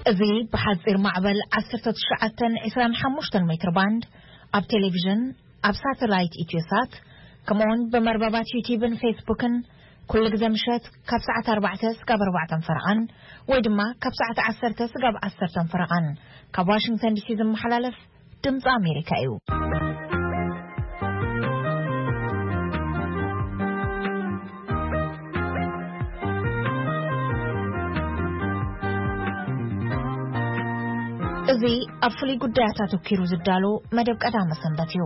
እዚ ብሓጺር ማዕበል ዓሰርተ ትሽዓተ ዒስራን ሓሙሽተን ሜትር ባንድ፣ ኣብ ቴሌቪዥን፣ ኣብ ሳተላይት ኢትዮሳት፣ ከምኡውን ብመርበባት ዩቲዩብን ፌስቡክን ኩሉ ግዜ ምሸት ካብ ሰዓት ኣርባዕተ ስጋብ ኣርባዕተን ፈረቓን ወይ ድማ ካብ ሰዓት ዓሰርተ ስጋብ ዓሰርተን ፈረቓን ካብ ዋሽንግተን ዲሲ ዝመሓላለፍ ድምፂ ኣሜሪካ እዩ። እዚ ኣብ ፍሉይ ጉዳያት ኣተኲሩ ዝዳሎ መደብ ቀዳመ ሰንበት እዩ።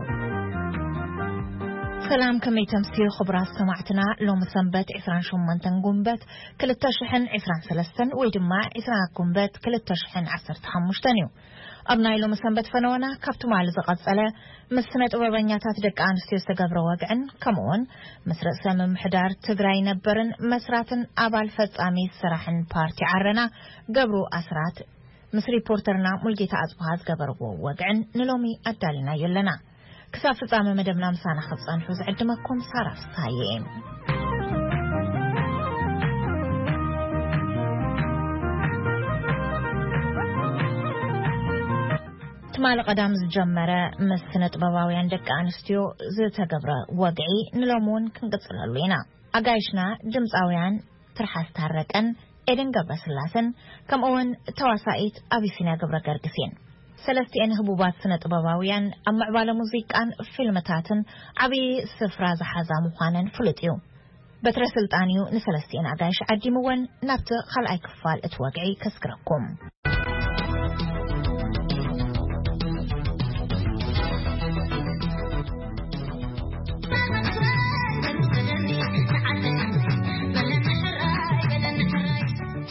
ሰላም፣ ከመይ ተምስዩ ክቡራት ሰማዕትና? ሎሚ ሰንበት ዒስራን ሸሞንተን ጉንበት ክልተ ሽሕን ዒስራን ሰለስተን ወይ ድማ ዒስራ ጉንበት ክልተ ሽሕን ዓሰርተ ሓሙሽተን እዩ። ኣብ ናይ ሎሚ ሰንበት ፈነወና ካብ ትማሊ ዝቐጸለ ምስ ስነ ጥበበኛታት ደቂ ኣንስትዮ ዝተገብረ ወግዕን ከምኡውን ምስ ርእሰ ምምሕዳር ትግራይ ነበርን መስራትን ኣባል ፈጻሚ ስራሕን ፓርቲ ዓረና ገብሩ ኣስራት ምስ ሪፖርተርና ሙልጌታ ኣጽብሃ ዝገበርዎ ወግዕን ንሎሚ ኣዳሊናዮ ኣለና። ክሳብ ፍጻመ መደብና ምሳና ክትጸንሑ ዝዕድመኩም ሳራ ፍስሃየ እየ። ትማሊ ቀዳም ዝጀመረ ምስ ስነ ጥበባውያን ደቂ ኣንስትዮ ዝተገብረ ወግዒ ንሎሚ እውን ክንቅጽለሉ ኢና። ኣጋይሽና ድምፃውያን ትርሓስ ታረቀን ኤደን ገብረስላሰን ከምኡውን ተዋሳኢት ኣቢሲንያ ገብረ ገርግስ እየን። ሰለስቲኤን ህቡባት ስነ ጥበባውያን ኣብ ምዕባለ ሙዚቃን ፊልምታትን ዓብዪ ስፍራ ዝሓዛ ምዃነን ፍሉጥ እዩ። በትረ ስልጣን እዩ ንሰለስቲኤን ኣጋይሽ ዓዲምወን ናብቲ ካልኣይ ክፋል እቲ ወግዒ ከስግረኩም።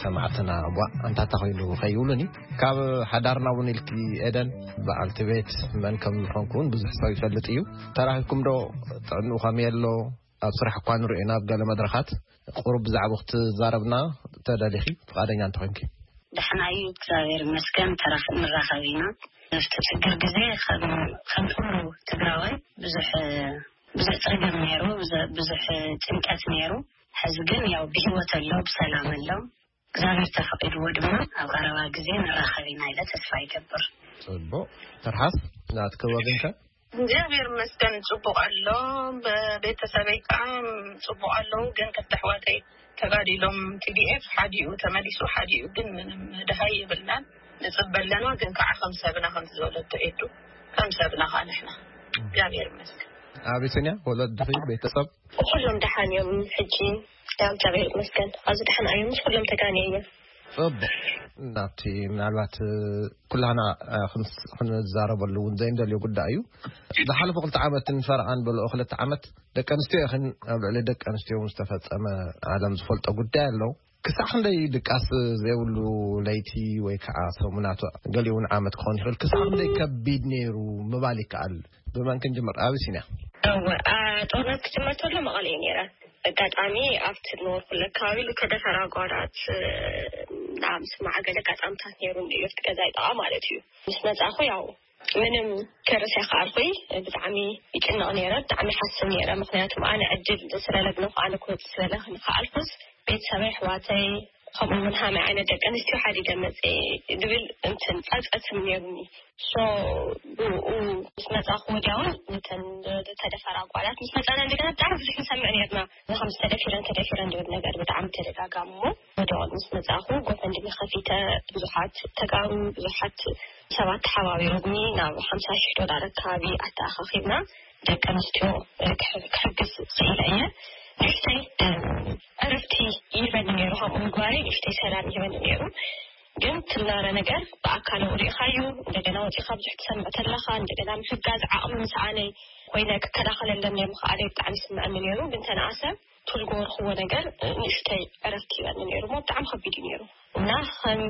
ሰማዕትና፣ ቧ፣ ኣንታታ ኮይኑ ከይብሉኒ፣ ካብ ሓዳርና እውን ኢልኪ ኤደን፣ በዓልቲ ቤት መን ከም ዝኾንኩ እውን ብዙሕ ሰብ ይፈልጥ እዩ። ተራኺብኩም ዶ? ጥዕንኡ ከመይ ኣሎ? ኣብ ስራሕ እኳ ንሪኦ ኢና ኣብ ገለ መድረኻት። ቁሩብ ብዛዕባኡ ክትዛረብና ተደሊኺ፣ ፍቓደኛ እንተኾይንኪ። ደሕና እዩ፣ እግዚኣብሔር ይመስገን። ተራኽ-፣ ንራኸብ ኢና። ኣብቲ ችግር ግዜ ከም፣ ከም ኩሉ ትግራዋይ ብዙሕ፣ ብዙሕ ጸገም ነይሩ፣ ብዙ-፣ ብዙሕ ጭንቀት ነይሩ። ሕዚ ግን ያው ብህይወት ኣሎ፣ ብሰላም ኣሎ። እግዚኣብሔር ተፈቒድዎ ድማ ኣብ ቀረባ ግዜ ንራኸብ ኢና ኢለ ተስፋ ይገብር። ጽቡቕ። ትርሓስ፣ ናትኪ ወገንከ? እግዚኣብሔር ይመስገን ጽቡቕ ኣሎ። ብ-፣ ቤተሰበይ ከዓ ጽቡቕ ኣለዉ፣ ግን ክልተ ኣሕዋተይ ተጋዲሎም፣ ቲ ዲ ኤፍ ሓዲኡ ተመሊሱ፣ ሓዲኡ ግን ምንም ደሃይ የብልናን። ንጽበ ኣለና፣ ግን ከዓ ከም ሰብና፣ ከምቲ ዝበለቶ ኤዱ፣ ከም ሰብና ከዓ ንሕና። እግዚኣብሔር ይመስገን። ኣቢሲንያ፣ ወለድኺ፣ ቤተሰብ? ኩሎም ደሓን እዮም ሕጂ፣ ያው እግዚኣብሔር ይመስገን። ኣብዚ ደሓን እዮም፣ ምስ ኩሎም ተጋንየ እየ። ጽቡቕ። ናብቲ ምናልባት፣ እ፣ ኩላህና፣ እ፣ ክንስ-፣ ክንዛረበሉ እውን ዘይንደልዮ ጉዳይ እዩ። ዝሓለፈ ክልተ ዓመትን ፈረቓን በልኦ ክልተ ዓመት ደቂ ኣንስትዮ ኢኽን ኣብ ልዕሊ ደቂ ኣንስትዮ እውን ዝተፈጸመ ዓለም ዝፈልጦ ጉዳይ ኣሎ። ክሳዕ ክንደይ ድቃስ ዘይብሉ ለይቲ ወይ ከዓ ሰሙናት፣ ገሊኡ እውን ዓመት ክኾን ይኽእል። ክሳዕ ክንደይ ከቢድ ነይሩ ምባል ይከኣል? ብመን ክንጅምር? ኣቢሲንያ። እወ፣ አ፣ ጦርነት ክጅመር ተሎ መቐለ እየ ነይረ። ኣጋጣሚ ኣብቲ ዝነበርኩሉ ኣከባቢ ዝተደፈራ ኣጓላት፣ እ፣ ናብ ስማዕ ገለ ኣጋጣምታት ነይሩ፣ ኣብቲ ገዛይ ጥቓ ማለት እዩ። ምስ መጻኹ ያው ምንም ክርስ ኣይከኣልኩይ። ብጣዕሚ ይጭነቕ ነይረ፣ ብጣዕሚ ይሓስብ ነይረ። ምኽንያቱ ኣነ ዕድል ስለለግነኹ፣ ኣነ ክወጽእ ስለለኽን ከኣልኩስ፣ ቤተሰበይ፣ ኣሕዋተይ፣ ከምኡ እውን ሃመይ ዓይነት ደቂ ኣንስትዮ ሓዲገ መጽእ ዝብል እንትን ጸብጸብ ስም ነይሩኒ። ሶ ብኡ ምስ መጻኹ ወዲያውን ነተን ዝተደፈራ ጓላት ምስ መጻና እንደገና ብጣዕሚ ብዙሕ ንሰምዕ ነርና። እዛ ከም ዝተደፊረን ተደፊረን ዝብል ነገር ብጣዕሚ ተደጋጋሚ። እሞ ወዲያውን ምስ መጻኹ ጎፈንድሚ ከፊተ፣ ብዙሓት ተጋሩ፣ ብዙሓት ሰባት ተሓባቢሮምኒ ናብ ሓምሳ ሺሕ ዶላር ኣካባቢ ኣተኣኻኺብና። ደቂ ኣንስትዮ፣ እ፣ ክሕ-፣ ክሕግዝ ክኢለ እየ። ንእሽተይ፣ እ፣ ዕረፍቲ ይህበኒ ነይሩ፣ ከምኡ ምግባረይ ንእሽተይ ሰላም ይህበኒ ነይሩ። ግን ትናረ ነገር ብኣካል ሪኢኻዩ፣ እንደገና ወፂኻ ብዙሕ ትሰምዕ ተለኻ፣ እንደገና ምሕጋዝ ዓቕሚ ምስኣነይ ኮይነ ክከላኸለለን ናይ ምኽኣለይ ብጣዕሚ ይስምዐኒ ነይሩ። ግን ተነኣሰ ትልጎ ወርኽዎ ነገር፣ እ፣ ንእሽተይ ዕረፍቲ ይህበኒ ነይሩ። እሞ ብጣዕሚ ከቢድ እዩ ነይሩ። እና ከም፣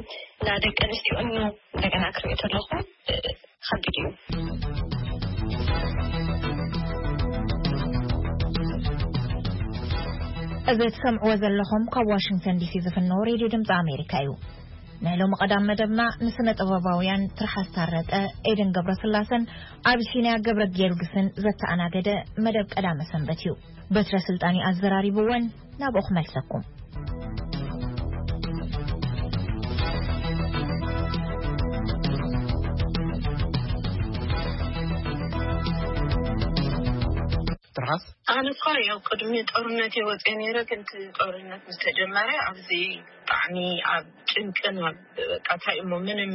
እና ደቂ ኣንስትዮ እኖ እንደገና ክሪኦ ተለኹ፣ እ፣ ከቢድ እዩ። እዚ ትሰምዕዎ ዘለኹም ካብ ዋሽንግተን ዲሲ ዝፍነው ሬድዮ ድምፂ ኣሜሪካ እዩ። ናይ ሎሚ ቀዳም መደብና ንስነ ጥበባውያን ትርሓስ ታረቀ፣ ኤደን ገብረስላሰን ኣቢሲንያ ገብረ ጊዮርጊስን ዘተኣናገደ መደብ ቀዳመ ሰንበት እዩ። በትረ ስልጣን እዩ ኣዘራሪብወን። ናብኡ ክመልሰኩም። ኣነ እኳ ያው ቅድሚ ጦርነት እየ ወፅየ ነይረ፣ ግን እቲ ጦርነት ምስ ተጀመረ ኣብዚ ብጣዕሚ ኣብ ጭንቅን ኣብ በቃ እንታይ እሞ ምንም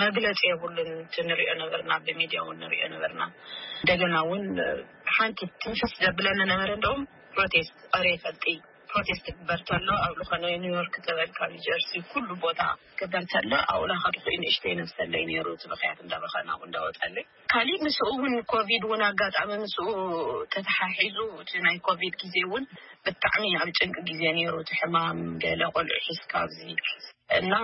መግለፂ የብሉን። እቲ ንሪኦ ነበርና፣ ብሚድያ እውን ንሪኦ ነበርና። እንደገና እውን ሓንቲ ትንፍስ ዘብለኒ ነበረ። እንደውም ፕሮቴስት ኦሬ ፈልጢ ፕሮቴስት ክግበር ተሎ ኣብ ዝኾነ ኒውዮርክ ተበልካ ኒጀርሲ ኩሉ ቦታ ክግበር ተሎ ኣብኡ ላኸድኩ ንእሽተይ ነብሰለይ ነይሩ። እቲ ብኽያት እንዳበኸና እንዳወፀለይ ካሊእ ምስኡ እውን ኮቪድ እውን ኣጋጣሚ ምስኡ ተተሓሒዙ እቲ ናይ ኮቪድ ግዜ እውን ብጣዕሚ ኣብ ጭንቂ ግዜ ነይሩ። እቲ ሕማም ገለ ቆልዑ ሒዝካ ኣብዚ እና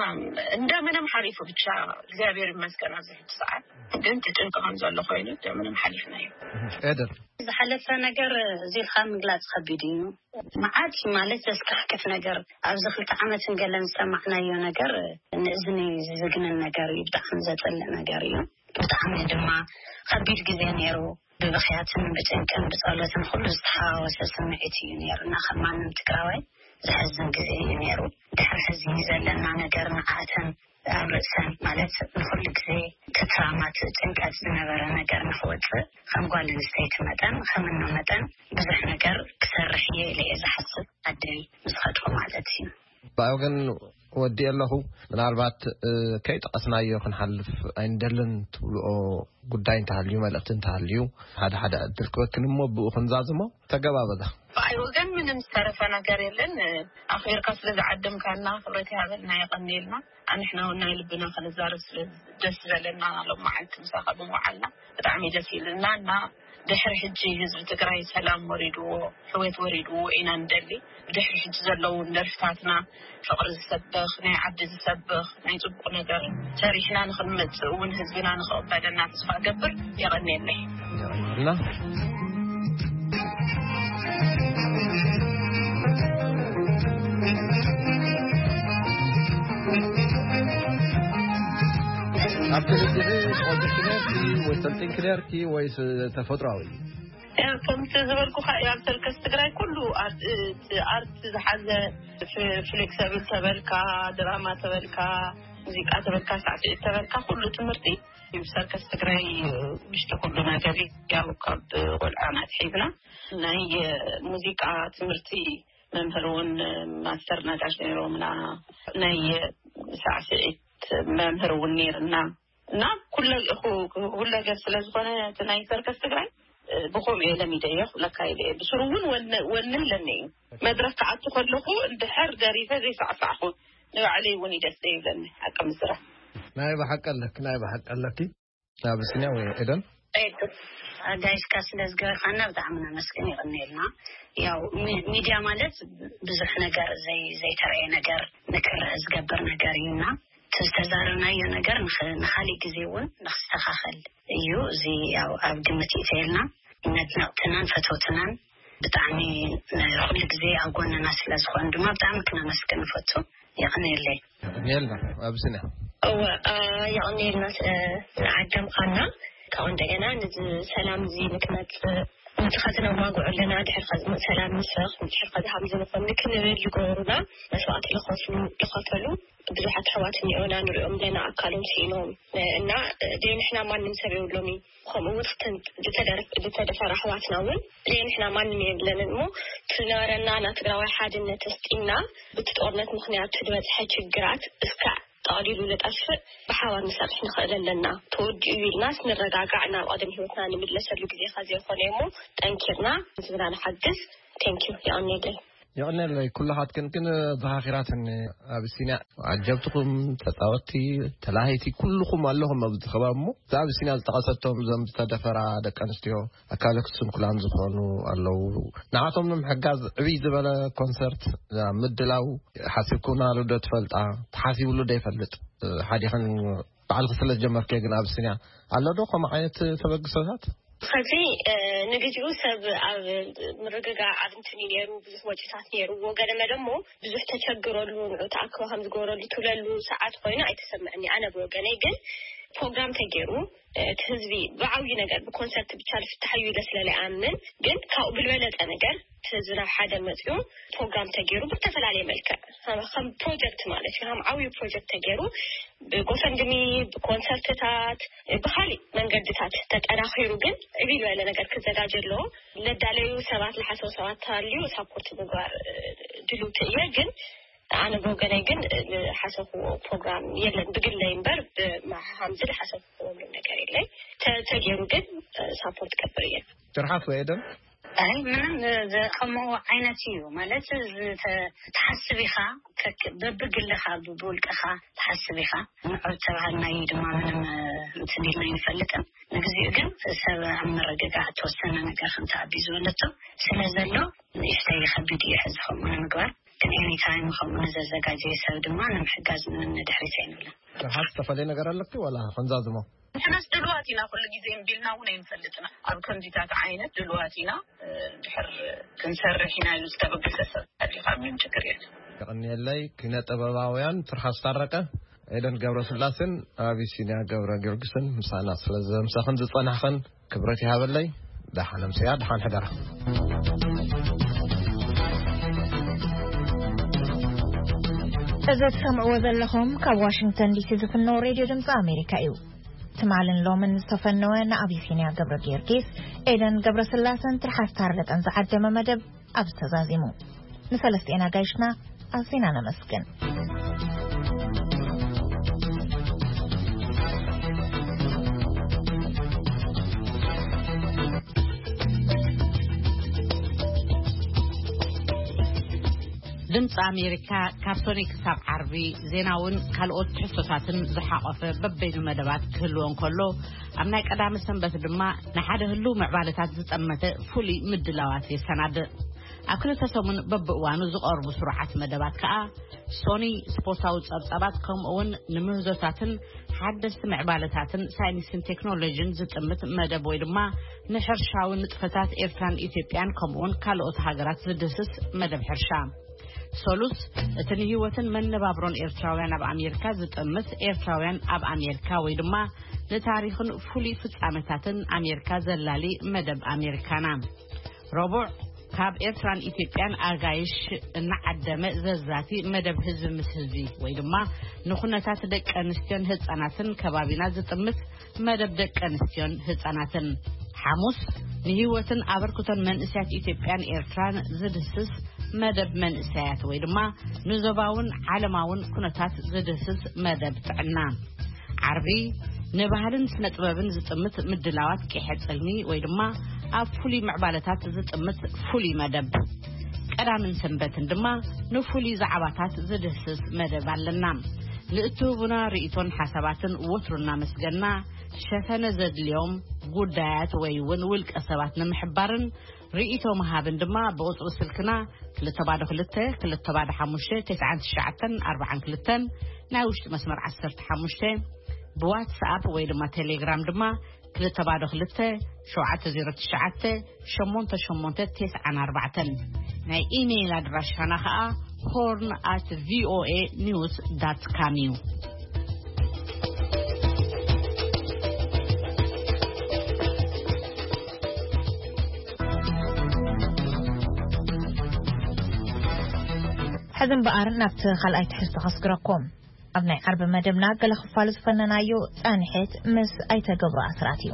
እንደምንም ሓሊፉ ብቻ እግዚኣብሔር ይመስገን ኣብዚ ሕጂ ሰዓት ግን እቲ ጭንቂ ከም ዘሎ ኮይኑ እንደምንም ሓሊፍናዮ። ኤደን ዝሓለፈ ነገር እዚልካ ምግላፅ ከቢድ እዩ። መዓት ማለት ዘስካሕክፍ ነገር ኣብዚ ክልተ ዓመትን ገለን ዝሰማዕናዮ ነገር ንእዝኒ ዝዝግንን ነገር እዩ። ብጣዕሚ ዘፅልእ ነገር እዩ። ብጣዕሚ ድማ ከቢድ ግዜ ነይሩ። ብብኽያትን ብጭንቅን ብፀሎትን ኩሉ ዝተሓዋወሰ ስምዒት እዩ ነይሩ እና ከም ማንም ትግራዋይ ዘሕዝን ግዜ እዩ ነይሩ። ድሕሪ ሕዚ ዘለና ነገር ንዓተን ኣብ ርእሰን ማለት ንኩሉ ግዜ ትትራማት ጭንቀት ዝነበረ ነገር ንክወፅእ ከም ጓል ኣንስተይቲ መጠን ከም እኖ መጠን ብዙሕ ነገር ክሰርሕ እየ ኢለ እየ ዝሓስብ። ዓደይ ምስ ከድኩ ማለት እዩ። ብኣይ ወገን ወዲ ኣለኹ። ምናልባት ከይጠቐስናዮ ክንሓልፍ ኣይንደልን ትብልኦ ጉዳይ እንተሃልዩ፣ መልእኽቲ እንተሃልዩ ሓደ ሓደ ዕድል ክበክን እሞ ብኡ ክንዛዝሞ ተገባበዛ። ብኣይ ወገን ምንም ዝተረፈ ነገር የለን። ኣኽቢርካ ስለ ዝዓደምካና ክብረት ይሃበልና፣ የቐንየልና። ኣንሕና እውን ናይ ልብና ክንዛረብ ስለ ደስ ዝበለና ሎም መዓልቲ ምሳኻ ብምውዓልና ብጣዕሚ ደስ ይብልና እና ድሕሪ ሕጂ ህዝቢ ትግራይ ሰላም ወሪድዎ ሕወት ወሪድዎ ኢና ንደሊ። ብድሕሪ ሕጂ ዘለዉ ደርፍታትና ፍቕሪ ዝሰብኽ ናይ ዓዲ ዝሰብኽ ናይ ፅቡቕ ነገር ሰሪሕና ንኽንመፅእ እውን ህዝብና ንኽቕበለና ተስፋ እገብር። የቐንየለይ። እና ኣብቲ ሕጂ ቆልቲ ክነርኪ ወይ ሰልጢን ክነርኪ ወይስ ተፈጥሯዊ? ከምቲ ዝበልኩኻ ኣብ ሰርከስ ትግራይ ኩሉ ኣርት ዝሓዘ ፍሌክሰብል ተበልካ፣ ድራማ ተበልካ፣ ሙዚቃ ተበልካ፣ ሳዕስዒት ተበልካ ኩሉ ትምህርቲ ሰርከስ ትግራይ ውሽጢ ኩሉ ነገር ያው ካብ ቆልዓና ኣትሒዝና ናይ ሙዚቃ ትምህርቲ መምህር እውን ማስተር ነጋሽ ነይሮምና፣ ናይ ሳዕስዒት መምህር እውን ነይርና እና ኩለ- ኩ- ሁለገብ ስለ ዝኾነ እቲ ናይ ሰርከስ ትግራይ ብኸምኡ እየ ለሚደዮ ክብለካ ኢለ እየ። ብስሩ እውን ወነ- ወነ ኣለኒ እዩ። መድረክ ክኣቱ ከለኹ እንድሕር ደሪፈ ዘይሳዕሳዕኹ ንባዕለይ እውን እዩ ደስ ዘይብለኒ ሓቂ ምስራሕ። ናይ ብሓቂ ኣለኪ፣ ናይ ብሓቂ ኣለኪ። ኣብስንያ ወይ ኤደን? ኣጋይሽካ ስለ ዝገበርካና ብጣዕሚ ነመስግን። ይቕንየልና። ያው ሚ- ሚድያ ማለት ብዙሕ ነገር ዘይ- ዘይተረየ ነገር ንክረአ ዝገብር ነገር እዩና እቲ ዝተዛረብናዮ ነገር ንኽ- ንካሊእ ግዜ እውን ንክስተኻኸል እዩ። እዚ ያው ኣብ ግምት ይእተየልና። ነድነቕትናን ፈተውትናን ብጣዕሚ ኩሉ ግዜ ኣብ ጎንና ስለ ዝኾኑ ድማ ብጣዕሚ ክነመስግን ንፈቱ። የቐንየለይ። ኔልና ኣብስና እወ የቐንየልና ስለ ዝዓደምካና። ካብኡ እንደገና ነዚ ሰላም እዚ ንክመፅእ ነቲ ከዝነማግዑ ኣለና ድሕር ከዝመፅ ሰላም ንስኽ ድሕር ከዝሃም ዝንኾን ክንብል ዝገበሩና መስዋዕቲ ዝኸፍሉ ዝኸፈሉ ብዙሓት ኣሕዋት እኒኦና ንሪኦም ኣለና ኣካሎም ስኢኖም እና ደይ ንሕና ማንም ሰብ የብሎም እዩ። ከምኡ እውን ዝተደፈራ ኣሕዋትና እውን ደይ ንሕና ማንም የብለንን እሞ እቲ ዝነበረና ናይ ትግራዋይ ሓድነት ኣስጢምና ብቲ ጦርነት ምክንያት ዝበፅሐ ችግራት እስካዕ ጠቕሊሉ ንጠፍእ ብሓባር ንሰርሕ ንኽእል ኣለና። ተወዲኡ ኢልና ንረጋጋዕ ናብ ቀደም ህይወትና ንምለሰሉ ግዜኻ ዘይኮነ እሞ ጠንኪርና ህዝብና ንሓግዝ። Thank you። የቐንየለይ። የቐንየለይ ኩላኻትክን ግን ዘኻኺራትኒ ኣብሲንያ ዓጀብትኹም ተፃወትቲ ተላሃይቲ ኩልኹም ኣለኹም ኣብዚ ከባቢ እሞ እዛ ኣብሲንያ ዝጠቐሰቶም እዞም ዝተደፈራ ደቂ ኣንስትዮ ኣካለ ስንኩላን ዝኾኑ ኣለዉ። ንዓቶም ንምሕጋዝ ዕብይ ዝበለ ኮንሰርት ምድላው ሓሲብኩምናሉ ዶ ትፈልጣ? ተሓሲብሉ ዶ ይፈልጥ? ሓዲኽን ባዕልኺ ስለ ዝጀመርክዮ ግን ኣብሲንያ ኣሎ ዶ ከምኡ ዓይነት ተበግሶታት? ኸዚ ንግዚኡ ሰብ ኣብ ምርግጋዕ ኣብ እንትን እዩ ነይሩ፣ ብዙሕ ወጪታት ነይርዎ። ገለ መለ እሞ ብዙሕ ተቸግረሉ ንዑ ተኣክቦ ከም ዝገበረሉ ትብለሉ ሰዓት ኮይኑ ኣይተሰምዐኒ ኣነ ብወገነይ። ግን ፕሮግራም ተገይሩ፣ እቲ ህዝቢ ብዓብዩ ነገር ብኮንሰርት ብቻ ዝፍታሕ እዩ ኢለ ስለ ዘይኣምን፣ ግን ካብኡ ብልበለጠ ነገር እቲ ህዝቢ ናብ ሓደ መፅኡ ፕሮግራም ተገይሩ ብዝተፈላለየ መልክዕ ከም ከም ፕሮጀክት ማለት እዩ፣ ከም ዓብዩ ፕሮጀክት ተገይሩ ብጎፈንድሚ፣ ብኮንሰርትታት፣ ብካሊእ መንገድታት ተጠናኺሩ፣ ግን ዕብይ ዝበለ ነገር ክዘጋጀ ኣለዎ። ለዳለዩ ሰባት፣ ለሓሰቡ ሰባት ተሃልዩ ሳፖርት ምግባር ድልውቲ እየ። ግን ኣነ ብወገነይ ግን ዝሓሰብኩዎ ፕሮግራም የለን፣ ብግለይ እምበር ብማሓምዚ ዝሓሰብኩዎ ምንም ነገር የለይ። ተ- ተገይሩ ግን ሳፖርት ገብር እየ። ትርሓስ ወይ ኤደን? ኣይ ምንም፣ ከምኡ ዓይነት እዩ ማለት፣ ትሓስብ ኢኻ፣ በብግልኻ ብውልቅኻ ትሓስብ ኢኻ። ንዑ ተባሃልናዮ ድማ ምንም እንትን ኢልና ኣይንፈልጥን። ንግዚኡ ግን ሰብ ኣብ ምርግጋዕ ተወሰነ ነገር ከም ተኣቢዙ ኣለቶ ስለ ዘሎ፣ ንእሽተይ ከቢድ እዩ ሕዚ ከምኡ ንምግባር። ግን ኤኒታይም ከምኡ ንዘዘጋጀየ ሰብ ድማ ንምሕጋዝ ምንም ንድሕሪት ኣይንብልን። ትርሓስ ዝተፈለየ ነገር ኣለኪ ዋላ ክንዛዝሞ? ንሕናስ ድልዋት ኢና፣ ኩሉ ግዜ እምቢ ኢልና እውን ኣይንፈልጥና። ኣብ ከምዚታት ዓይነት ድልዋት ኢና፣ ድሕር ክንሰርሕ ኢና ኢሉ ዝተበገሰ ሰብ ኣሊኻ ምንም ችግር የለን። የቐንየለይ። ኪነ ጥበባውያን ትርሓስ ታረቀ፣ ኤደን ገብረስላሴን ኣቢሲንያ ገብረ ጊዮርጊስን ምሳና ስለ ዘምሳኽን ዝጸናሕኽን ክብረት ይሃበለይ። ደሓን ኣምስያ፣ ደሓን ሕደራ። እዚ ትሰምዕዎ ዘለኹም ካብ ዋሽንግተን ዲሲ ዝፍነው ሬድዮ ድምፂ ኣሜሪካ እዩ። ትማልን ሎምን ዝተፈነወ ንኣቢሲንያ ገብረ ጊዮርጊስ፣ ኤደን ገብረስላሰን ትርሓስ ታረቀን ዝዓደመ መደብ ኣብዚ ተዛዚሙ። ንሰለስቲኤን ኣጋይሽና ኣዚና ነመስግን። ድምፂ ኣሜሪካ ካብ ሶኒ ክሳብ ዓርቢ ዜናውን ካልኦት ትሕዝቶታትን ዝሓቆፈ በበይኑ መደባት ክህልዎ እንከሎ፣ ኣብ ናይ ቀዳሚ ሰንበት ድማ ንሓደ ህልው ምዕባለታት ዝጠመተ ፍሉይ ምድላዋት የሰናድእ። ኣብ ክልተ ሰሙን በብእዋኑ ዝቐርቡ ስሩዓት መደባት ከኣ ሶኒ ስፖርታዊ ጸብጻባት፣ ከምኡ እውን ንምህዞታትን ሓደስቲ ምዕባለታትን ሳይንስን ቴክኖሎጂን ዝጥምት መደብ ወይ ድማ ንሕርሻዊ ንጥፈታት ኤርትራን ኢትዮጵያን ከምኡውን ካልኦት ሃገራት ዝድህስስ መደብ ሕርሻ። ሰሉስ፣ እቲ ንህይወትን መነባብሮን ኤርትራውያን ኣብ ኣሜሪካ ዝጥምት ኤርትራውያን ኣብ ኣሜሪካ ወይ ድማ ንታሪኽን ፍሉይ ፍጻመታትን ኣሜሪካ ዘላሊ መደብ ኣሜሪካና። ረቡዕ፣ ካብ ኤርትራን ኢትዮጵያን ኣጋይሽ እናዓደመ ዘዛቲ መደብ ህዝቢ ምስ ህዝቢ ወይ ድማ ንኩነታት ደቂ ኣንስትዮን ህጻናትን ከባቢና ዝጥምት መደብ ደቂ ኣንስትዮን ህጻናትን። ሓሙስ፣ ንህይወትን ኣበርክቶን መንእሰያት ኢትዮጵያን ኤርትራን ዝድህስስ መደብ መንእሰያት ወይ ድማ ንዞባውን ዓለማውን ኩነታት ዝድህስስ መደብ ጥዕና። ዓርቢ፣ ንባህልን ስነ ጥበብን ዝጥምት ምድላዋት ቂሐ ጽልሚ ወይ ድማ ኣብ ፍሉይ ምዕባለታት ዝጥምት ፍሉይ መደብ። ቀዳምን ሰንበትን ድማ ንፍሉይ ዛዕባታት ዝድህስስ መደብ ኣለና። ንእትህቡና ርእይቶን ሓሳባትን ወትሩ እናመስገና፣ ሸፈነ ዘድልዮም ጉዳያት ወይ እውን ውልቀ ሰባት ንምሕባርን ርእይቶ ምሃብን ድማ ብቁጽሪ ስልክና ክልተ ባዶ ክልተ፣ ክልተ ባዶ ሓሙሽተ፣ ተስዓን ትሽዓተን ኣርባዓን ክልተን፣ ናይ ውሽጢ መስመር ዓሰርተ ሓሙሽተ፣ ብዋትስኣፕ ወይ ድማ ቴሌግራም ድማ ክልተ ባዶ ክልተ፣ ሸውዓተ ዜሮ ትሽዓተ፣ ሸሞንተ ሸሞንተ ተስዓን ኣርባዕተን። ናይ ኢሜይል ኣድራሻና ኸኣ ሆርን ኣት ቪኦኤ ኒውስ ዳት ካም እዩ። ሕዚ እምበኣር ናብቲ ካልኣይ ትሕዝቶ ከስግረኩም። ኣብ ናይ ዓርቢ መደብና ገለ ክፋሉ ዝፈነናዮ ጸንሕት ምስ ኣይተ ገብሩ ኣስራት እዩ።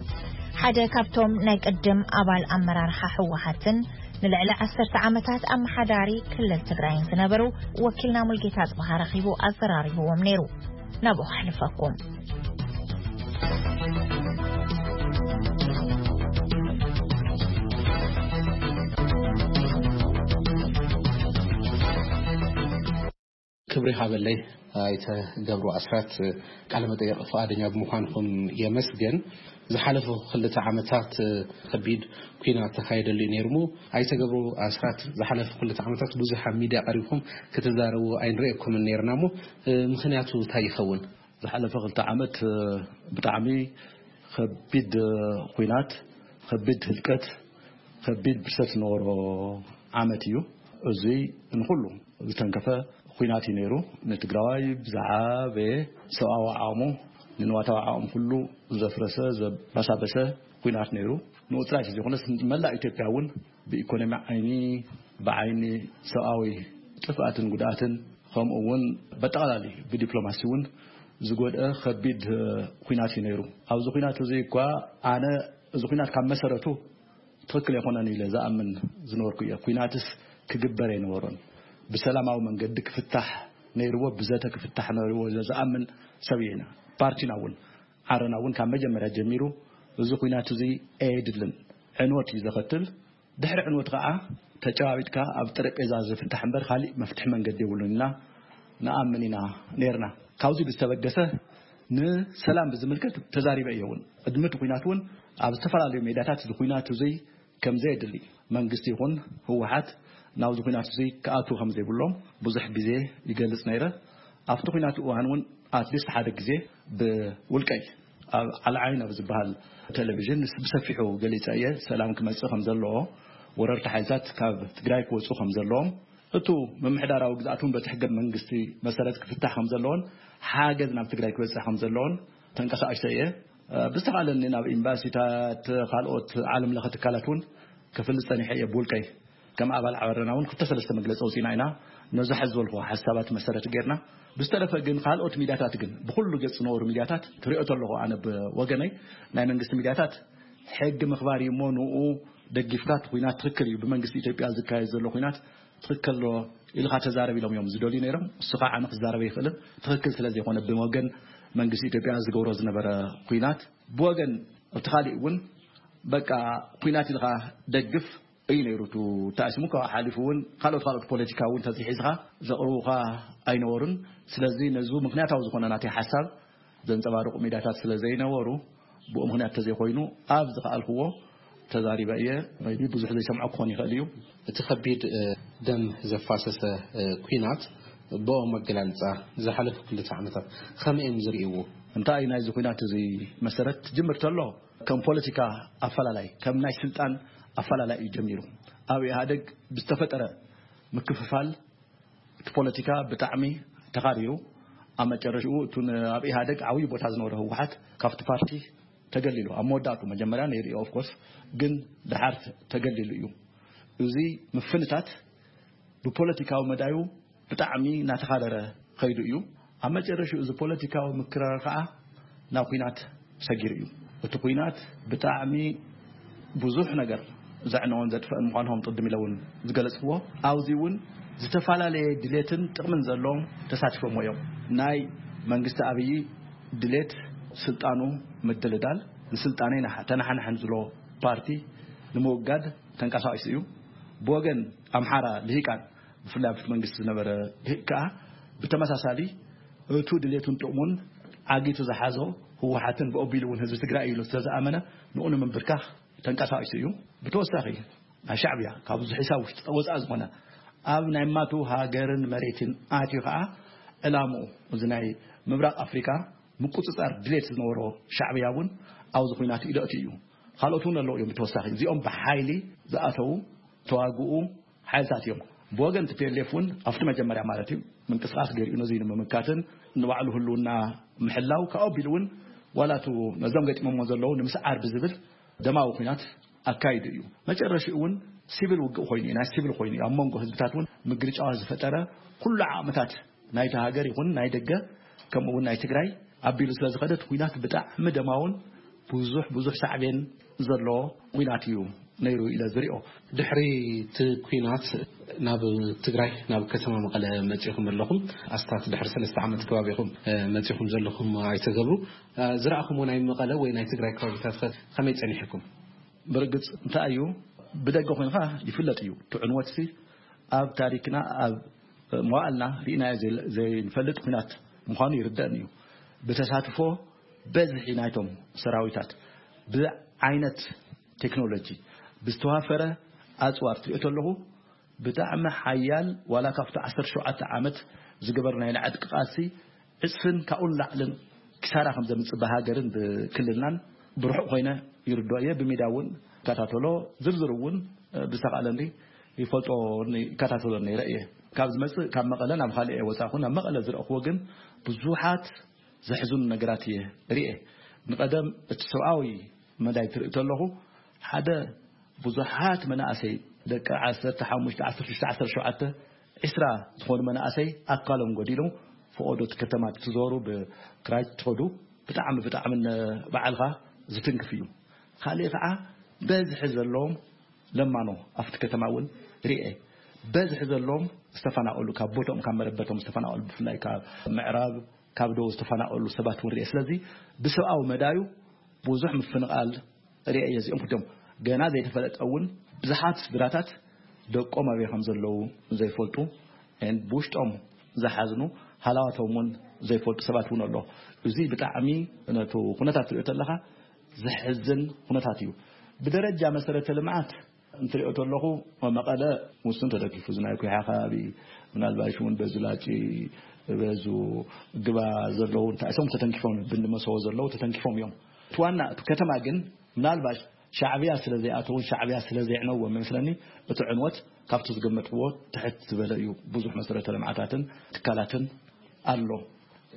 ሓደ ካብቶም ናይ ቅድም ኣባል ኣመራርሓ ህወሓትን ንልዕሊ ዓሰርተ ዓመታት ኣመሓዳሪ ክልል ትግራይን ዝነበሩ ወኪልና ሙልጌታ ኣጽብሃ ረኺቡ ኣዘራሪብዎም ነይሩ። ናብኡ ከሕልፈኩም። ክብሪ ሃበለይ ኣይተ ገብሩ ኣስራት፣ ቃለ መጠየቕ ፍቓደኛ ብምዃንኩም የመስገን። ዝሓለፉ ክልተ ዓመታት ከቢድ ኲናት ተኻየደሉ እዩ ነይሩ እሞ፣ ኣይተ ገብሩ ኣስራት፣ ዝሓለፉ ክልተ ዓመታት ብዙሕ ኣብ ሚድያ ቀሪብኩም ክትዛረቡ ኣይንርእየኩምን ነይርና እሞ፣ ምኽንያቱ እንታይ ይኸውን? ዝሓለፈ ክልተ ዓመት ብጣዕሚ ከቢድ ኲናት፣ ከቢድ ህልቀት፣ ከቢድ ብርሰት ዝነበሮ ዓመት እዩ። እዙይ ንኹሉ ዝተንከፈ ኲናት እዩ ነይሩ። ንትግራዋይ ብዝዓበየ ሰብኣዊ ዓቕሙ ንንዋታዊ ዓቕም ኩሉ ዘፍረሰ፣ ዘባሳበሰ ኲናት ነይሩ። ንኡ ጥራይ ዘይኮነስ፣ መላእ ኢትዮጵያ እውን ብኢኮኖሚ ዓይኒ፣ ብዓይኒ ሰብኣዊ ጥፍኣትን ጉድኣትን፣ ከምኡ እውን በጠቓላሊ ብዲፕሎማሲ እውን ዝጎድአ ከቢድ ኲናት እዩ ነይሩ። ኣብዚ ኲናት እዚ እኳ ኣነ እዚ ኲናት ካብ መሰረቱ ትኽክል ኣይኮነን ኢለ ዝኣምን ዝነበርኩ እየ። ኲናትስ ክግበር ኣይነበሮን። ብሰላማዊ መንገዲ ክፍታሕ ነይርዎ፣ ብዘተ ክፍታሕ ነይርዎ ኢለ ዝኣምን ሰብ እየ። ኢና ፓርቲና እውን ዓረና እውን ካብ መጀመርያ ጀሚሩ እዚ ኲናት እዚ ኣየድልን፣ ዕንወት እዩ ዘኸትል። ድሕሪ ዕንወት ከዓ ተጨባቢጥካ ኣብ ጠረጴዛ ዝፍታሕ እምበር ካሊእ መፍትሒ መንገዲ የብሉን ኢልና ንኣምን ኢና ነይርና። ካብዚ ብዝተበገሰ ንሰላም ብዝምልከት ተዛሪበ እየ እውን። ቅድሚ እቲ ኲናት እውን ኣብ ዝተፈላለዩ ሜዳታት እዚ ኲናት እዚ ከም ዘየድሊ መንግስቲ ይኹን ህወሓት ናብዚ ኲናት እዚ ክኣትዉ ከም ዘይብሎም ብዙሕ ግዜ ይገልጽ ነይረ። ኣብቲ ኲናት እዋን እውን ኣትሊስት ሓደ ግዜ ብውልቀይ ኣብ ዓልዓይን ኣብ ዝበሃል ቴሌቪዥን ብሰፊሑ ገሊጸ እየ። ሰላም ክመጽእ ከም ዘለዎ፣ ወረርቲ ሓይልታት ካብ ትግራይ ክወጹ ከም ዘለዎም፣ እቱ ምምሕዳራዊ ግዝኣት እውን በቲ ሕገ መንግስቲ መሰረት ክፍታሕ ከም ዘለዎን ሓገዝ ናብ ትግራይ ክበጽሕ ከም ዘለዎን ተንቀሳቒሰ እየ። ብዝተኻለኒ ናብ ኤምባሲታት፣ ካልኦት ዓለም ለኸ ትካላት እውን ክፍልጥ ጸኒሐ እየ ብውልቀይ። ከም ኣባል ዓረና እውን ክልተ ሰለስተ መግለጺ ኣውጺእና ኢና። ነዚ ሕዚ ዝበልኩ ሓሳባት መሰረት ጌርና። ብዝተረፈ ግን ካልኦት ሚድያታት ግን፣ ብኹሉ ገጽ ዝነበሩ ሚድያታት ትሪኦ ተለኹ፣ ኣነ ብወገነይ ናይ መንግስቲ ሚድያታት ሕጊ ምኽባር እዩ እሞ፣ ንኡ ደጊፍካ እቲ ኲናት ትኽክል እዩ፣ ብመንግስቲ ኢትዮጵያ ዝካየድ ዘሎ ኲናት ትኽክል ዶ ኢልካ ተዛረብ ኢሎም እዮም ዝደልዩ ነይሮም። እሱ ከዓ ኣነ ክዛረብ ኣይኽእልን፣ ትኽክል ስለ ዘይኮነ ብወገን መንግስቲ ኢትዮጵያ ዝገብሮ ዝነበረ ኲናት። ብወገን እቲ ካሊእ እውን በቃ ኲናት ኢልካ ደግፍ እዩ ነይሩ። እቲ ተኣሲሙ ካብኡ ሓሊፉ እውን ካልኦት ካልኦት ፖለቲካ እውን ተዝሒዝካ ዘቕርቡኻ ኣይነበሩን። ስለዚ ነዚ ምኽንያታዊ ዝኾነ ናተይ ሓሳብ ዘንጸባርቑ ሜዳታት ስለ ዘይነበሩ፣ ብኡ ምኽንያት ተዘይኮይኑ ኣብ ዝኸኣልክዎ ተዛሪበ እየ። maybe ብዙሕ ዘይሰምዖ ክኾን ይኽእል እዩ። እቲ ከቢድ፣ እ፣ ደም ዘፋሰሰ፣ እ፣ ኲናት ብኦም ኣገላልጻ ዝሓለፉ ክልተ ዓመታት ከመይ እዮም ዝርእይዎ? እንታይ እዩ ናይዚ ኲናት እዚ መሰረት? ትጅምር ተሎ ከም ፖለቲካ ኣፈላላይ፣ ከም ናይ ስልጣን ኣፈላላይ እዩ ጀሚሩ። ኣብ ኢህኣደግ ብዝተፈጠረ ምክፍፋል እቲ ፖለቲካ ብጣዕሚ ተኻሪሩ፣ ኣብ መጨረሽኡ እቱ ን-፣ ኣብ ኢህኣደግ ዓብዪ ቦታ ዝነበሮ ህወሓት ካብቲ ፓርቲ ተገሊሉ። ኣብ መወዳእቱ መጀመርያ ነይሩ እዩ፣ of course፣ ግን ደሓር ተገሊሉ እዩ። እዚ ምፍንታት ብፖለቲካዊ መዳዩ ብጣዕሚ እናተኻረረ ከይዱ እዩ። ኣብ መጨረሽኡ እዚ ፖለቲካዊ ምክርራር ከዓ ናብ ኲናት ሰጊሩ እዩ። እቲ ኲናት ብጣዕሚ ብዙሕ ነገር ዘዕነዎን ዘጥፍአን ምዃኑ ከም ቅድም ኢለ እውን ዝገለጽክዎ፣ ኣብዚ እውን ዝተፈላለየ ድሌትን ጥቕምን ዘለዎም ተሳቲፎምዎ እዮም። ናይ መንግስቲ ኣብዪ ድሌት ስልጣኑ ምድልዳል፣ ንስልጣነይ ናሕ-፣ ተናሓናሕን ዝሎ ፓርቲ ንምውጋድ ተንቀሳቒሱ እዩ። ብወገን ኣምሓራ ልሂቃን፣ ብፍላይ ኣብቲ መንግስቲ ዝነበረ ልሂቅ ከኣ ብተመሳሳሊ እቱ ድሌቱን ጥቕሙን ዓጊቱ ዝሓዞ ህወሓትን ብኦቢሉ እውን ህዝቢ ትግራይ እዩ ኢሉ ስለ ዝኣመነ ንኡ ንምንብርካኽ ተንቀሳቒሱ እዩ። ብተወሳኺ ናይ ሻዕብያ ካብ እዚ ሒሳብ ውሽጢ ወፃእ ዝኾነ ኣብ ናይ ማቱ ሃገርን መሬትን ኣትዩ ከዓ ዕላምኡ እዚ ናይ ምብራቕ ኣፍሪካ ምቁፅፃር ድሌት ዝነበሮ ሻዕብያ እውን ኣብዚ ኲናት ኢደእቲ እዩ። ካልኦት እውን ኣለዉ እዮም። ብተወሳኺ እዚኦም ብሓይሊ ዝኣተዉ ተዋግኡ ሓይልታት እዮም። ብወገን ቲ ፒ ኤል ኤፍ እውን ኣብቲ መጀመርያ ማለት እዩ ምንቅስቃስ ገይሩ ነዚ ንምምካትን ንባዕሉ ህልውና ምሕላው ካብ ኣቢሉ እውን ዋላ እቱ ነዞም ገጢሞሞ ዘለዉ ንምስዓር ብዝብል ደማዊ ኲናት ኣካይዱ እዩ። መጨረሽኡ እውን ሲቪል ውግእ ኮይኑ እዩ፣ ናይ ሲቪል ኮይኑ እዩ። ኣብ መንጎ ህዝብታት እውን ምግርጫዋ ዝፈጠረ ኩሉ ዓቕምታት ናይቲ ሃገር ይኹን ናይ ደገ ከምኡ እውን ናይ ትግራይ ኣቢሉ ስለ ዝኸደ እቲ ኲናት ብጣዕሚ ደማውን ብዙሕ ብዙሕ ሳዕቤን ዘለዎ ኲናት እዩ ነይሩ ኢለ ዝሪኦ። ድሕሪ እቲ ኲናት ናብ ትግራይ ናብ ከተማ መቐለ መጺኹም ኣለኹም። ኣስታት ድሕሪ ሰለስተ ዓመት ከባቢ ኢኹም፣ እ፣ መጺኹም ዘለኹም ኣይተ ገብሩ። እ፣ ዝረኣኹምዎ ናይ መቐለ ወይ ናይ ትግራይ ከባቢታት ከ ከመይ ጸኒሕኩም? ብርግጽ እንታይ እዩ፣ ብደገ ኮይንካ ይፍለጥ እዩ። እቲ ዕንወትሲ ኣብ ታሪክና ኣብ መዋእልና ርኢናዮ ዘይ-፣ ዘይንፈልጥ ኲናት ምዃኑ ይርደእን እዩ። ብተሳትፎ በዝሒ ናይቶም ሰራዊታት፣ ብዓይነት ቴክኖሎጂ፣ ብዝተዋፈረ ኣጽዋር ትሪኦ ተለኹ ብጣዕሚ ሓያል፣ ዋላ ካብቲ ዓሰርተ ሸውዓተ ዓመት ዝገበርናዮ ናይ ዕጥቂ ቃልሲ ዕጽፍን ካብኡን ላዕልን ክሳራ ከም ዘምጽእ ብሃገርን ብክልልናን ብርሑቕ ኮይነ ይርድኦ እየ። ብሚድያ እውን ይከታተሎ፣ ዝርዝር እውን ብዝተኻእለኒ ይፈልጦ፣ ይከታተሎ ነይረ እየ። ካብ ዝመጽእ ካብ መቐለ ናብ ካልእ እየ ወጻኹ። ናብ መቐለ ዝረእኽዎ ግን ብዙሓት ዘሕዝኑ ነገራት እየ ርእየ። ንቐደም እቲ ሰብኣዊ መዳይ ትርኢ ተለኹ፣ ሓደ ብዙሓት መናእሰይ ደቂ ዓሰርተ ሓሙሽተ፣ ዓሰርተ ሽዱሽተ፣ ዓሰርተ ሸውዓተ፣ ዒስራ ዝኾኑ መናእሰይ ኣካሎም ጎዲሎም ፈቐዶ እቲ ከተማ ትዞሩ ብክራይ ትኸዱ ብጣዕሚ ብጣዕሚ ን-፣ ባዕልኻ ዝትንክፍ እዩ። ካልእ ከዓ በዝሒ ዘለዎም ለማኖ ኣብቲ ከተማ እውን ርኤ። በዝሒ ዘለዎም ዝተፈናቐሉ፣ ካብ ቦትኦም ካብ መረበቶም ዝተፈናቐሉ፣ ብፍላይ ካብ ምዕራብ ካብ ደቡብ ዝተፈናቐሉ ሰባት እውን ርኤ። ስለዚ ብሰብኣዊ መዳዩ ብዙሕ ምፍንቓል ርኤ እየ። እዚኦም ክልቲኦም ገና ዘይተፈለጠ እውን ብዙሓት ስድራታት ደቆም ኣበይ ከም ዘለዉ ዘይፈልጡ፣ and ብውሽጦም ዝሓዝኑ ሃላዋቶም እውን ዘይፈልጡ ሰባት እውን ኣሎ። እዚ ብጣዕሚ ነቱ ኩነታት ትሪኦ ተለኻ ዘሕዝን ኩነታት እዩ። ብደረጃ መሰረተ ልምዓት እንትሪኦ ተለኹ መቐለ ውሱን ተደጊፉ፣ እዚ ናይ ኩሓ ከባቢ ምናልባሽ እውን በዚ ላጪ በዙ ግባ ዘለዉ እንታይ እሶም ተተንኪፎም ብንመሰዎ ዘለዉ ተተንኪፎም እዮም። እቲ ዋና እቲ ከተማ ግን ምናልባሽ ሻዕብያ ስለ ዘይኣተውን ሻዕብያ ስለ ዘይዕነዎም ይመስለኒ እቲ ዕንወት ካብቲ ዝገመትዎ ትሕት ዝበለ እዩ። ብዙሕ መሰረተ ልምዓታትን ትካላትን ኣሎ።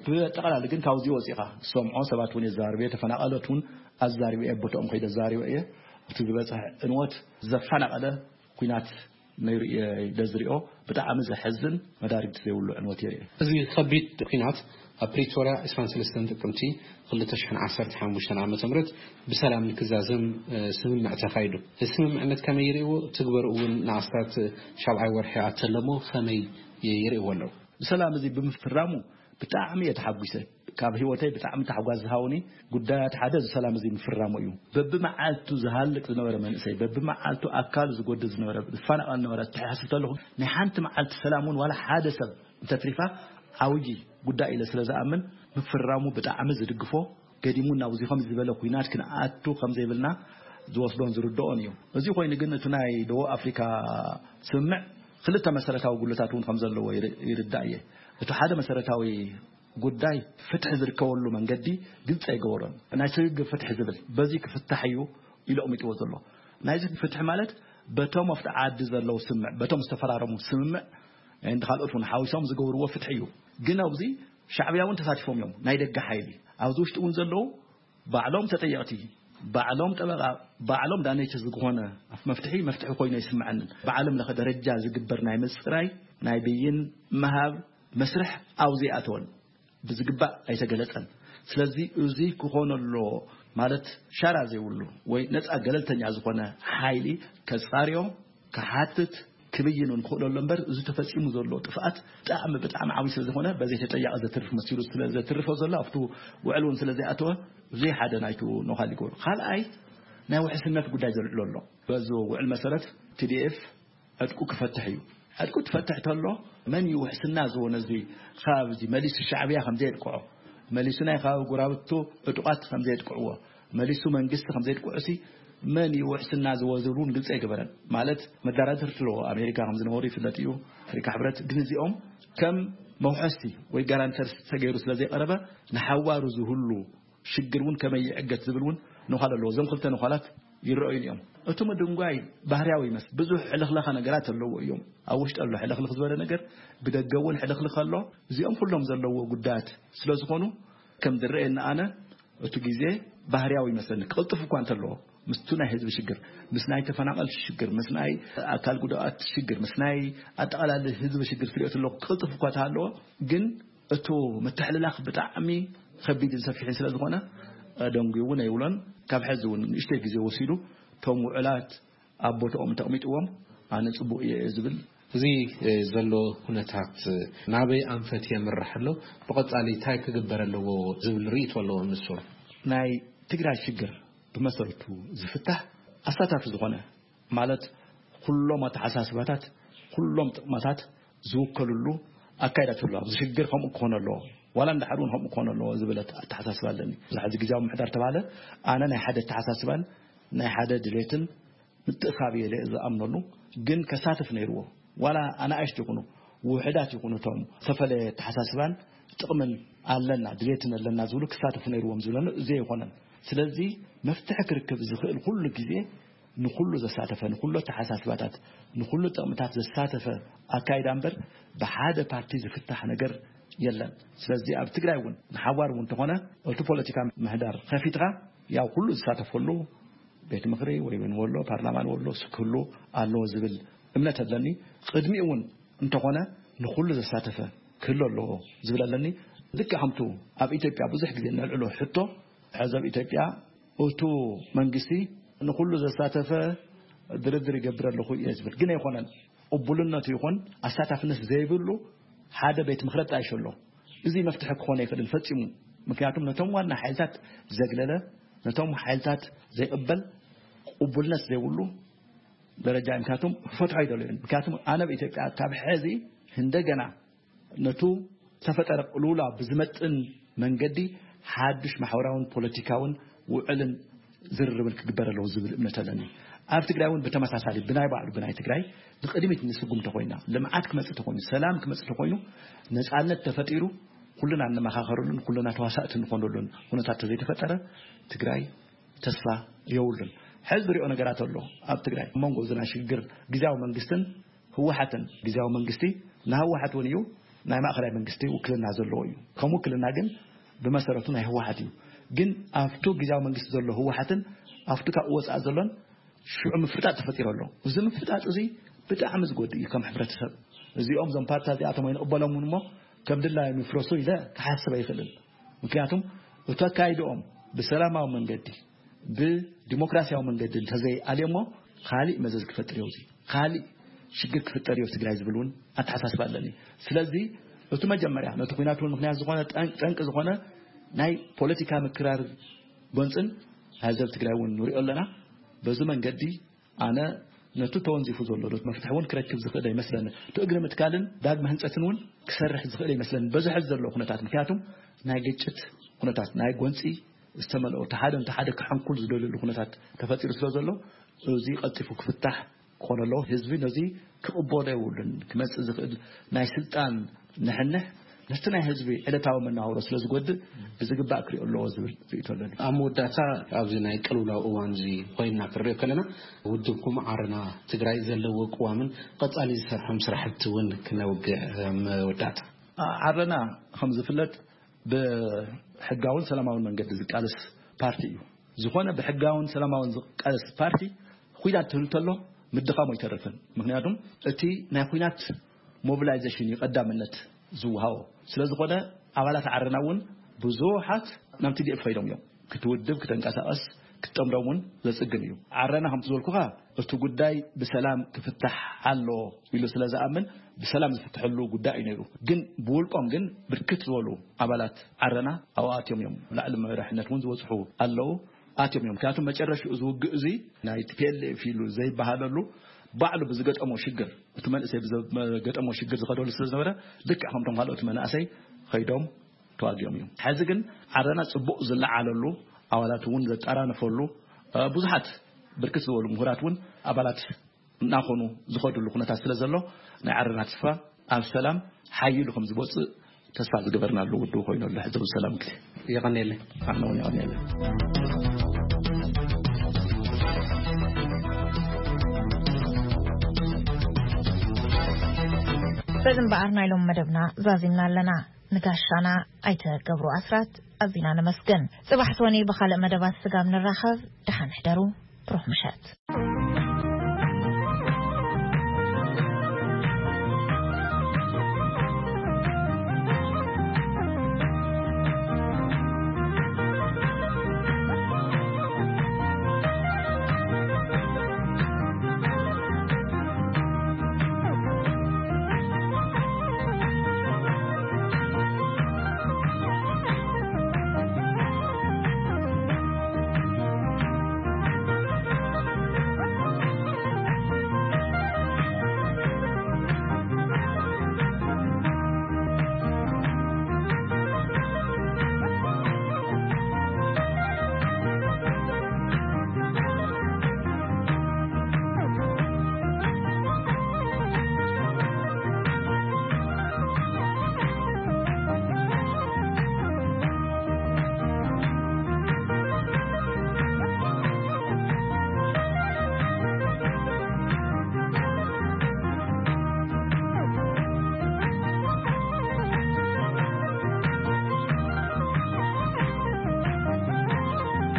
ብጠቕላሊ ግን ካብዚ ወፂኻ ዝሰምዖ ሰባት እውን የዛርብ እየ፣ ተፈናቐለት እውን ኣዛሪበ እየ፣ ቦትኦም ከይደ ኣዛሪበ እየ። እቲ ዝበፅሐ ዕንወት ዘፈናቐለ ኩናት ነይሩ እየ ኢለ ዝሪኦ። ብጣዕሚ ዘሕዝን መዳርግቲ ዘይብሉ ዕንወት እየ ርእየ። እዚ ከቢድ ኩናት ኣብ ፕሪቶርያ ዕስራን ሰለስተን ጥቅምቲ ክልተ ሽሕን ዓሰርተ ሓሙሽተን ዓመተ ምህረት ብሰላም ንክዛዘም፣ እ፣ ስምምዕ ተኻይዱ። እዚ ስምምዕነት ከመይ ይርእይዎ? ትግበሩ እውን ንኣስታት ሻብዓይ ወርሒ ኣተለሞ ከመይ ይርእይዎ ኣለዉ? ብሰላም እዚ ብምፍራሙ ብጣዕሚ እየ ተሓጒሰ። ካብ ህይወተይ ብጣዕሚ ታሕጓስ ዝሃውኒ ጉዳያት ሓደ እዚ ሰላም እዚ ምፍራሙ እዩ። በብመዓልቱ ዝሃልቅ ዝነበረ መንእሰይ፣ በብመዓልቱ ኣካሉ ዝጎድል ዝነበረ፣ ዝፈናቐል ዝነበረ ተሓስብ ተለኹ፣ ናይ ሓንቲ መዓልቲ ሰላም እውን ዋላ ሓደ ሰብ እንተትሪፋ ዓብዪ ጉዳይ ኢለ ስለ ዝኣምን ምፍራሙ ብጣዕሚ ዝድግፎ፣ ገዲሙ ናብዚ ከም ዝበለ ኩናት ክንኣቱ ከም ዘይብልና ዝወስዶን ዝርድኦን እዩ። እዚ ኮይኑ ግን እቲ ናይ ደቡብ ኣፍሪካ ስምምዕ ክልተ መሰረታዊ ጉድለታት እውን ከም ዘለዎ ይር-፣ ይርዳእ እየ። እቲ ሓደ መሰረታዊ ጉዳይ ፍትሒ ዝርከበሉ መንገዲ ግልፂ ኣይገበሮን። ናይ ስግግር ፍትሒ ዝብል በዚ ክፍታሕ እዩ ኢሉ ኣቕሚጥዎ ዘሎ። ናይዚ ፍትሒ ማለት በቶም ኣብቲ ዓዲ ዘለዉ ስምምዕ፣ በቶም ዝተፈራረሙ ስምምዕ እንዲ ካልኦት እውን ሓዊሶም ዝገብርዎ ፍትሒ እዩ። ግን ኣብዚ ሻዕብያ እውን ተሳቲፎም እዮም። ናይ ደገ ሓይሊ ኣብዚ ውሽጢ እውን ዘለዉ ባዕሎም ተጠየቕቲ፣ ባዕሎም ጠበቓ፣ ባዕሎም ዳኔቸ ዝኾነ መፍትሒ መፍትሒ ኮይኑ ኣይስምዐንን። ብዓለም ለኸ ደረጃ ዝግበር ናይ ምፅራይ ናይ ብይን ምሃብ መስርሕ ኣብዚ ኣይኣተወን። ብዝግባእ ኣይተገለጸን። ስለዚ እዚ ክኾን ኣለዎ ማለት ሻራ ዘይብሉ ወይ ነጻ ገለልተኛ ዝኾነ ሓይሊ ከጻርዮ፣ ክሓትት፣ ክብይን እውን ክኽእለሉ እምበር እዚ ተፈጺሙ ዘሎ ጥፍኣት ብጣዕሚ ብጣዕሚ ዓብዪ ስለ ዝኾነ በዘይ ተጠያቒ ዘትርፍ መሲሉ ስለ ዘትርፎ ዘሎ ኣብቲ ውዕል እውን ስለ ዘይኣተወ እዚ ሓደ ናይቱ ነዃል ይገብሮ። ካልኣይ ናይ ውሕስነት ጉዳይ ዘልዕሎ ኣሎ። በዚ ውዕል መሰረት ቲ ዲ ኤፍ ዕጥቁ ክፈትሕ እዩ። ዕጥቁ ትፈትሕ ተሎ መን እዩ ውሕስና ዝቦ ነዚ ከባቢ እዚ መሊሱ ሻዕብያ ከም ዘየጥቅዖ፣ መሊሱ ናይ ከባቢ ጎራብቱ ዕጡቓት ከም ዘየጥቅዕዎ፣ መሊሱ መንግስቲ ከም ዘየጥቅዑ ሲ መን እዩ ውሕስና ዝቦ ዝብል እውን ግልፂ ኣይገበረን። ማለት መዳራድርቲ ኣለዎ። ኣሜሪካ ከም ዝነበሩ ይፍለጥ እዩ፣ ኣፍሪካ ሕብረት። ግን እዚኦም ከም መውሐስቲ ወይ ጋራንተርስ ተገይሩ ስለ ዘይቀረበ ንሓዋሩ ዝህሉ ሽግር እውን ከመይ ይዕገት ዝብል እውን ነዃል ኣለዎ። እዞም ክልተ ነዃላት ይረኣዩን እዮም። እቲ ምድንጓይ ባህርያዊ ይመስል። ብዙሕ ሕልኽለኻ ነገራት ኣለዎ እዮም። ኣብ ውሽጢ ኣሎ ሕልኽልኽ ዝበለ ነገር፣ ብደገ እውን ሕልኽልኽ ኣሎ። እዚኦም ኩሎም ዘለዎ ጉዳያት ስለ ዝኾኑ ከም ዝረኣየኒ ኣነ እቲ ግዜ ባህርያዊ ይመስለኒ። ክቕልጥፍ እኳ እንተለዎ ምስቱ ናይ ህዝቢ ሽግር፣ ምስ ናይ ተፈናቐልቲ ሽግር፣ ምስ ናይ ኣካል ጉዳኣት ሽግር፣ ምስ ናይ ኣጠቓላሊ ህዝቢ ሽግር ትሪኦ ተለኹ ክቕልጥፍ እኳ ተሃለዎ ግን እቱ ምትሕልላኽ ብጣዕሚ ከቢድን ሰፊሕን ስለ ዝኾነ፣ እ፣ ደንጉዩ እውን ኣይብሎን። ካብ ሕዚ እውን ንእሽተይ ግዜ ወሲዱ እቶም ውዕላት ኣብ ቦታኦም እንተቕሚጥዎም ኣነ ጽቡቕ እየ እየ ዝብል። እዚ፣ እ፣ ዘሎ ኩነታት፣ እ፣ ናበይ ኣንፈት የምርሕ ኣሎ? ብቐጻሊ እንታይ ክግበር ኣለዎ ዝብል ርእይቶ ኣለዎም ንሶም? ናይ ትግራይ ሽግር ብመሰረቱ ዝፍታሕ ኣሳታፊ ዝኾነ ማለት ኩሎም ኣተሓሳስባታት፣ ኩሎም ጥቕማታት ዝውከልሉ ኣካይዳ ተሎ። ኣብዚ ሽግር ከምኡ ክኾን ኣለዎ፣ ዋላ እንድሕር እውን ከምኡ ክኾን ኣለዎ ዝብል ኣተ-፣ ኣተሓሳስባ ኣለኒ። ብዙሕ ሕዚ ግዜያዊ ምምሕዳር ተባሃለ፣ ኣነ ናይ ሓደ ኣተሓሳስባን ናይ ሓደ ድሌትን ምትእኻብ እየ ኢለ ዝኣምነሉ፣ ግን ከሳትፍ ነይርዎ። ዋላ ኣናእሽቱ ይኹኑ፣ ውሑዳት ይኹኑ፣ እቶም ዝተፈለየ ኣተሓሳስባን ጥቕምን ኣለና፣ ድሌትን ኣለና ዝብሉ ክሳተፉ ነይርዎም ዝብለኒ እዚ ኣይኮነን። ስለዚ መፍትሒ ክርክብ ዝኽእል ኩሉ ግዜ ንኹሉ ዘሳተፈ፣ ንኹሉ ኣተሓሳስባታት፣ ንኹሉ ጥቕምታት ዘሳተፈ ኣካይዳ እምበር ብሓደ ፓርቲ ዝፍታሕ ነገር የለን። ስለዚ ኣብ ትግራይ እውን ንሓዋር እውን እንተኾነ እቲ ፖለቲካ ምህዳር ከፊትካ ያው ኩሉ ዝሳተፈሉ ቤት ምኽሪ ወይ እውን ወሎ ፓርላማ ንወሎ ክህሉ ኣለዎ ዝብል እምነት ኣለኒ። ቅድሚኡ እውን እንተኾነ ንኹሉ ዘሳተፈ ክህሉ ኣለዎ ዝብል ኣለኒ። ልክዕ ከምቱ ኣብ ኢትዮጵያ ብዙሕ ግዜ ነልዕሎ ሕቶ፣ ሕዚ ኣብ ኢትዮጵያ እቱ መንግስቲ ንኹሉ ዘሳተፈ ድርድር ይገብር ኣለኹ እየ ዝብል ግን ኣይኮነን። ቅቡልነቱ ይኹን ኣሳታፍነት ዘይብሉ ሓደ ቤት ምኽሪ ኣጣይሹ ኣሎ። እዚ መፍትሒ ክኾን ኣይክእልን ፈጺሙ። ምክንያቱም ነቶም ዋና ሓይልታት ዘግለለ፣ ነቶም ሓይልታት ዘይቕበል፣ ቅቡልነት ዘይብሉ ደረጃ እዩ። ምክንያቱም ክፈትሖ ኣይደለዩን። ምክንያቱም ኣነ ኣብ ኢትዮጵያ ካብ ሕዚ እንደገና ነቱ ዝተፈጠረ ቅልውላ ብዝመጥን መንገዲ ሓዱሽ ማሕበራውን ፖለቲካውን ውዕልን ዝርርብን ክግበር ኣለዎ ዝብል እምነት ኣለኒ። ኣብ ትግራይ እውን ብተመሳሳሊ ብናይ ባዕሉ ብናይ ትግራይ ንቅድሚት ንስጉም ተኮይና፣ ልምዓት ክመፅእ ተኮይኑ፣ ሰላም ክመፅእ ተኮይኑ፣ ነፃነት ተፈጢሩ ኩልና እንመኻኸርሉን ኩልና ተዋሳእቲ እንኾነሉን ኩነታት ተዘይተፈጠረ ትግራይ ተስፋ የብሉን። ሕዚ ዝሪኦ ነገራት ኣሎ ኣብ ትግራይ። ኣብ መንጎ እዚ ናይ ሽግግር ግዝያዊ መንግስትን ህወሓትን፣ ግዝያዊ መንግስቲ ንህወሓት እውን እዩ ናይ ማእኸላይ መንግስቲ ውክልና ዘለዎ እዩ። ከም ውክልና ግን ብመሰረቱ ናይ ህወሓት እዩ። ግን ኣብቱ ግዝያዊ መንግስቲ ዘሎ ህወሓትን ኣብቱ ካብኡ ወፃእ ዘሎን ሽዑ ምፍጣጥ ተፈጢሩ ኣሎ። እዚ ምፍጣጥ እዚ ብጣዕሚ ዝጎድእ እዩ ከም ሕብረተሰብ። እዚኦም እዞም ፓርትታት እዚኣቶም ኣይንቕበሎምን እሞ ከም ድላዮም ይፍረሱ ኢለ ክሓስብ ኣይኽእልን። ምክንያቱም እቲ ኣካይድኦም ብሰላማዊ መንገዲ ብዲሞክራሲያዊ መንገዲ እንተዘይኣልዮሞ ካሊእ መዘዝ ክፈጥር እዩ። እዚ ካሊእ ሽግር ክፍጠር እዩ ትግራይ ዝብል እውን ኣተሓሳስባ ኣለኒ። ስለዚ እቲ መጀመርያ ነቲ ኩናት እውን ምክንያት ዝኾነ ጠን- ጠንቂ ዝኾነ ናይ ፖለቲካ ምክራር ጎንፅን ናይ ህዝብ ትግራይ እውን ንሪኦ ኣለና። በዚ መንገዲ ኣነ ነቲ ተወንዚፉ ዘሎ ዶት መፍትሒ እውን ክረክብ ዝኽእል ኣይመስለኒ። እቲ እግሪ ምትካልን ዳግመ ህንፀትን እውን ክሰርሕ ዝኽእል ኣይመስለኒ በዚ ሕዚ ዘሎ ኩነታት። ምክንያቱም ናይ ግጭት ኩነታት ናይ ጎንፂ ዝተመልኦ እቲ ሓደ ነቲ ሓደ ክሕንኩል ዝደልየሉ ኩነታት ተፈጢሩ ስለ ዘሎ እዚ ቀልጢፉ ክፍታሕ ክኾን ኣለዎ። ህዝቢ ነዚ ክቕበሎ የብሉን። ክመፅእ ዝኽእል ናይ ስልጣን ንሕንሕ ነቲ ናይ ህዝቢ ዕለታዊ መነባብሮ ስለ ዝጎድእ ብዝግባእ ክሪኦ ኣለዎ ዝብል ርእይቶ ኣለኒ። ኣብ መወዳእታ ኣብዚ ናይ ቅልውላው እዋን እዚ ኮይንና ክንሪኦ ከለና ውድብኩም ዓረና ትግራይ ዘለዎ ቅዋምን ቀፃሊ ዝሰርሖም ስራሕቲ እውን ክነውግዕ መወዳእታ። ዓረና ከም ዝፍለጥ ብሕጋውን ሰላማውን መንገዲ ዝቃለስ ፓርቲ እዩ። ዝኾነ ብሕጋውን ሰላማውን ዝቃለስ ፓርቲ ኩናት ትህሉ ተሎ ምድኻሙ ኣይተርፍን። ምክንያቱም እቲ ናይ ኩናት ሞቢላይዜሽን እዩ ቀዳምነት ዝወሃቦ። ስለ ዝኾነ ኣባላት ዓረና እውን ብዙሓት ናብ ቲ ዲ ኤፍ ከይዶም እዮም። ክትውድብ ክተንቀሳቐስ ክትጠምዶም እውን ዘፅግም እዩ። ዓረና ከምቲ ዝበልኩኻ እቲ ጉዳይ ብሰላም ክፍታሕ ኣሎ ኢሉ ስለ ዝኣምን ብሰላም ዝፍትሐሉ ጉዳይ እዩ ነይሩ። ግን ብውልቆም ግን ብርክት ዝበሉ ኣባላት ዓረና ኣብኡ ኣትዮም እዮም። ላዕሊ መራሕነት እውን ዝበፅሑ ኣለዉ ኣትዮም እዮም። ምክንያቱም መጨረሽኡ እዚ ውግእ እዚ ናይ ቲ ፒ ኤል ኤፍ ኢሉ ዘይበሃለሉ ባዕሉ ብዝገጠሞ ሽግር እቲ መንእሰይ ብዝገጠሞ ሽግር ዝኸደሉ ስለ ዝነበረ ልክዕ ከምቶም ካልኦት መናእሰይ ከይዶም ተዋጊኦም እዮም። ሕዚ ግን ዓረና ፅቡቕ ዝለዓለሉ ኣባላት እውን ዘጠራነፈሉ እ፣ ብዙሓት ብርክት ዝበሉ ምሁራት እውን ኣባላት እናኾኑ ዝኸዱሉ ኩነታት ስለ ዘሎ ናይ ዓረና ተስፋ ኣብ ሰላም ሓይሉ ከም ዝወፅእ ተስፋ ዝገበርናሉ ውድቡ ኮይኑ ኣሎ። ሕዚ እውን ሰላም ግዜ የቐንየለይ። ኣነ እውን የቐንየለይ። በዚ እምበኣር ናይ ሎም መደብና ዛዚምና ኣለና። ንጋሻና ኣይተ ገብሩ ኣስራት ኣዚና ነመስግን። ጽባሕ ሶኒ ብኻልእ መደባት ስጋብ ንራኸብ ደሓን ሕደሩ። ብሩኽ ምሸት።